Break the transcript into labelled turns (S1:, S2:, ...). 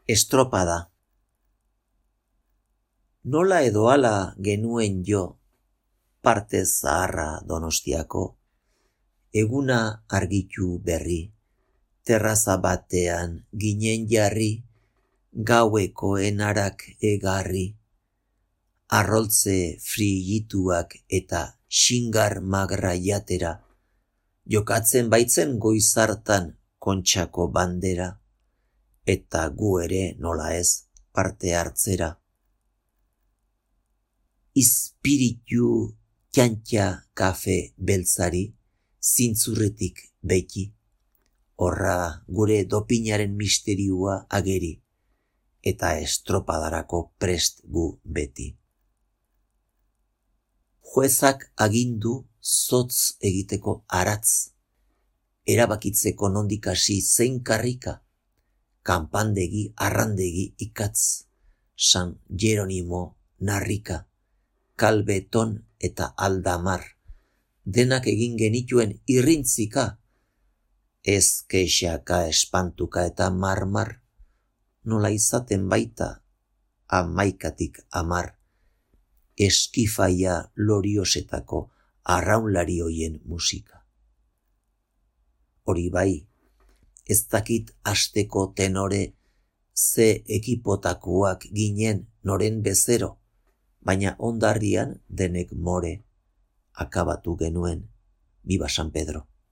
S1: Estropada. Nola edo hala genuen jo, parte zaharra Donostiako, eguna argitu berri, terraza batean ginen jarri, gaueko enarak egarri, arroltze frigituak eta xingar magra jatera, jokatzen baitzen goizartan Kontxako bandera, eta gu ere nola ez parte hartzera. Ispiritu txantxa kafe beltzari, zintzurretik beti, horra gure dopinaren misteriua ageri, eta estropadarako prest gu beti. Juezak agindu zotz egiteko aratz, erabakitzeko nondik hasi zein karrika, kanpandegi arrandegi ikatz, San Jeronimo narrika, Kalbeton eta Aldamar, denak egin genituen irrintzika, ez kexaka espantuka eta marmar, nola izaten baita 11 eskifaia loriosetako arraunlari hoien musika. Hori bai, ez dakit asteko tenore ze ekipotakoak ginen noren bezero, baina ondarrian denek more akabatu genuen. Viva San Pedro.